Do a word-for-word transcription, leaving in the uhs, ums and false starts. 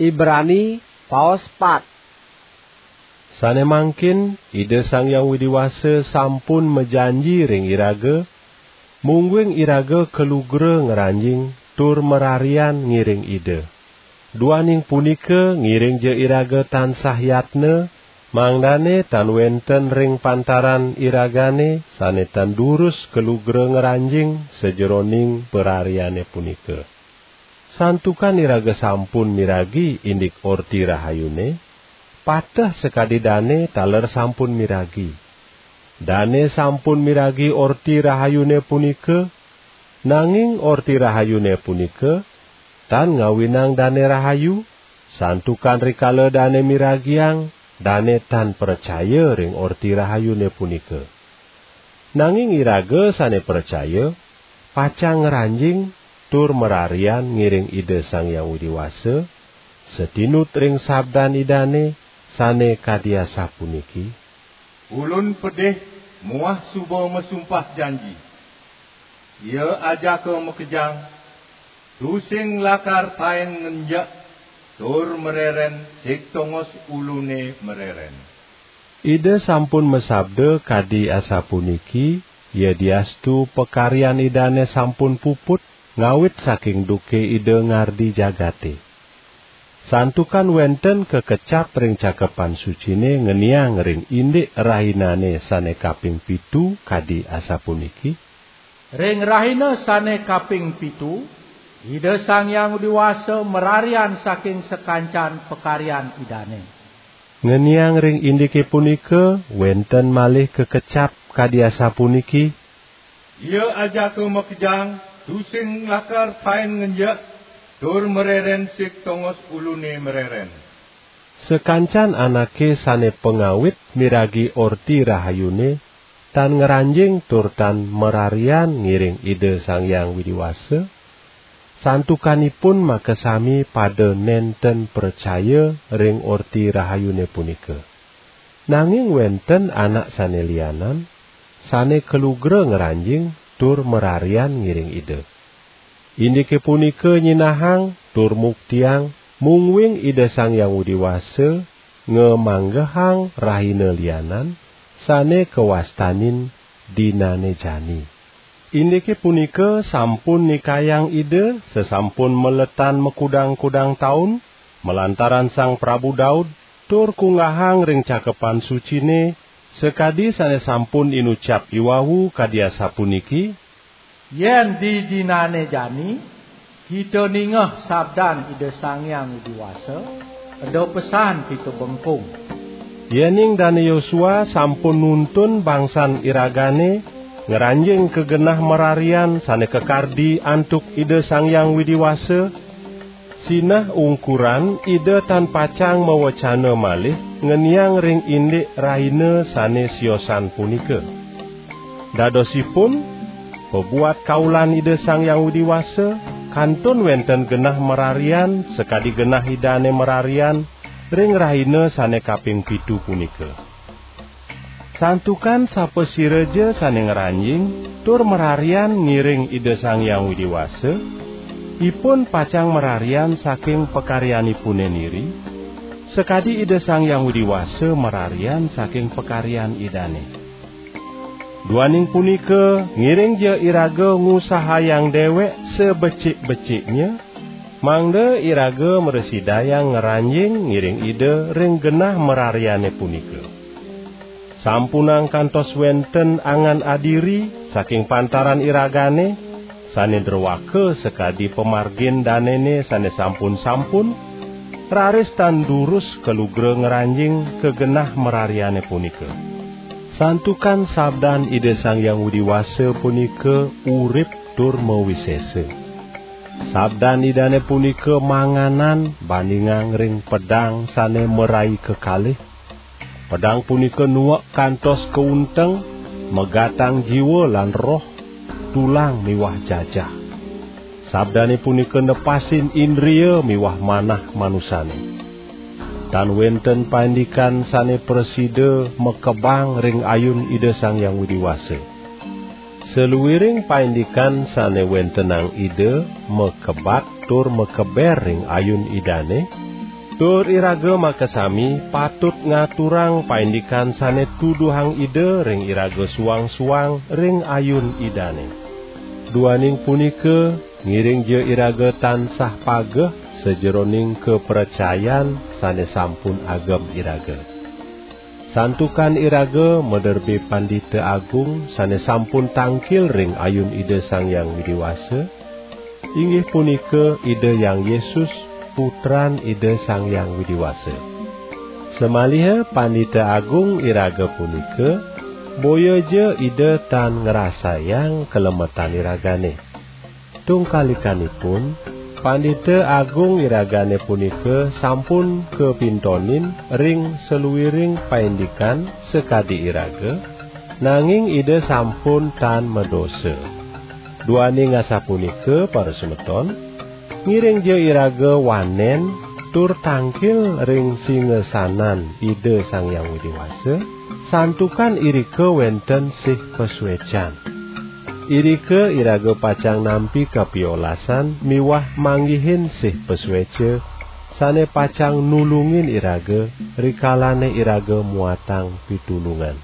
Ibrani, paos pat. Sane mangkin Ida Sang Hyang Widi Wasa sampun majanji ring iraga, mungguing iraga kalugra ngranjing tur mararian ngiring Ida. Duaning punika, ngiringja iraga tansah yatna, mangdane tan wenten ring pantaran iragane sane tan durus kalugra ngranjing sajeroning parariane punika. Santukan iraga sampun miragi indik Orti Rahayune, pateh sakadi dane taler sampun miragi. Dane sampun miragi Orti Rahayune punika, nanging Orti Rahayune punika tan ngawinang dane rahayu, santukan rikala dane miragiang, dane tan pracaya ring Orti Rahayune punika. Nanging iraga sane pracaya, pacang ngranjing tur mararian ngiring Ida Sang Hyang Widi Wasa, satinut ring sabdan Idane sane kadi asapuniki: "Ulun pedih muah suba masumpah janji. Ia ajaka makejang, tusing lakar taen ngenjek, tur mareren sig tongos ulune mareren." Ida sampun masabda kadi asapuniki, yadiastu pakaryan Idane sampun puput, ngawit saking duke Ida ngardi jagate. Santukan wenten kakecap ring Cakepan Sucine ngeniang ring indik rahinane sane kaping pitu kadi asapuniki: "Ring rahina sane kaping pitu, Ida Sang Hyang Widi Wasa mararian saking sakancan pakaryan Idane." Ngeniang ring indike punika, wenten malih kakecap kadi asapuniki: "Ia ajaka makejang, tusing lakar taen ngenjek, tur mareren sig tongos ulune mareren." Sakancan anake sane pangawit miragi Orti Rahayune, tan ngranjing tur tan mararian ngiring Ida Sang Hyang Widi Wasa, santukanipun makasami pada nenten pracaya ring Orti Rahayune punika. Nanging wenten anak sane lianan, sane kalugra ngranjing tur mararian ngiring Ida. Indike punika nyinahang tur muktiang mungguing Ida Sang Hyang Widi Wasa ngamanggehang rahina lianan sane kawastanin dinane jani. Indike punika sampun nikayang Ida sasampun maletan makudang-kudang taun, malantaran Sang Prabu Daud, tur kunggahang ring Cakepan Sucine, sakadi sane sampun inucap iwau kadi asapuniki: "Yen didinane jani, kita ningeh sabdan Ida Sang Hyang Widi Wasa, eda pesan kita bengkung." Yening Dane Yosua sampun nuntun bangsan iragane ngranjing ka genah mararian sane kakardi antuk Ida Sang Hyang Widi Wasa, sinah ungkuran Ida tan pacang mawecana malih ngeniang ring indik rahina sane siosan punika. Dadosipun, pabuat kaulan Ida Sang Hyang Widi Wasa, kantun wenten genah mararian sakadi genah Idane mararian ring rahina sane kaping pitu punika. Santukan sapasiraja sane ngranjing tur mararian ngiring Ida Sang Hyang Widi Wasa, ipun pacang mararian saking pakaryanipune niri, sakadi Ida Sang Hyang Widi Wasa mararian saking pakaryan Idane. Duaning punika, ngiringja iraga ngusahayang dewek sabecik-beciknya, mangda iraga mrasidayang ngranjing ngiring Ida ring genah marariane punika. Sampunang kantos wenten angan adiri saking pantaran iragane, sane druaka sakadi pamargin danene sane sampun-sampun, raris tan durus kalugra ngranjing ka genah marariane punika. Santukan sabdan Ida Sang Hyang Widi Wasa punika urip tur mawisesa. Sabdan Idane punika manganan bandingang ring pedang sane marai kekalih. Pedang punika nuek kantos kaunteng, megatang jiwa lan roh, tulang miwah jajah. Sabdane punika nepasin indria miwah manah manusane. Tan wenten paindikan sane prasida makebang ring ayun Ida Sang Hyang Widi Wasa. Saluiring paindikan sane wentenang Ida makebat tur makeber ring ayun Idane, Tur iraga makasami patut ngaturang paindikan sane tuduhang Ida ring iraga suang-suang ring ayun Idane. Duaning punika, ngiringja iraga tansah pageh sajeroning kapracayan sane sampun agem iraga. Santukan iraga maderbe Pandita Agung sane sampun tangkil ring ayun Ida Sang Hyang Widi Wasa, inggih punika Ida Hyang Yesus, Putran Ida Sang Hyang Widi Wasa. Samaliha Pandita Agung iraga punika, boyaja Ida tan ngrasayang kalemetan iragane. Tungkalikanipun, Pandita Agung iragane punika sampun kapintonin ring saluiring paindikan sakadi iraga, nanging Ida sampun tan madosa. Duaning asapunika, parasemeton, ngiringja iraga wanen tur tangkil ring singasanan Ida Sang Hyang Widi Wasa, santukan irika wenten sih pasuecan. Irika iraga pacang nampi kapiolasan miwah manggihin sih pasueca sane pacang nulungin iraga rikalane iraga muatang pitulungan.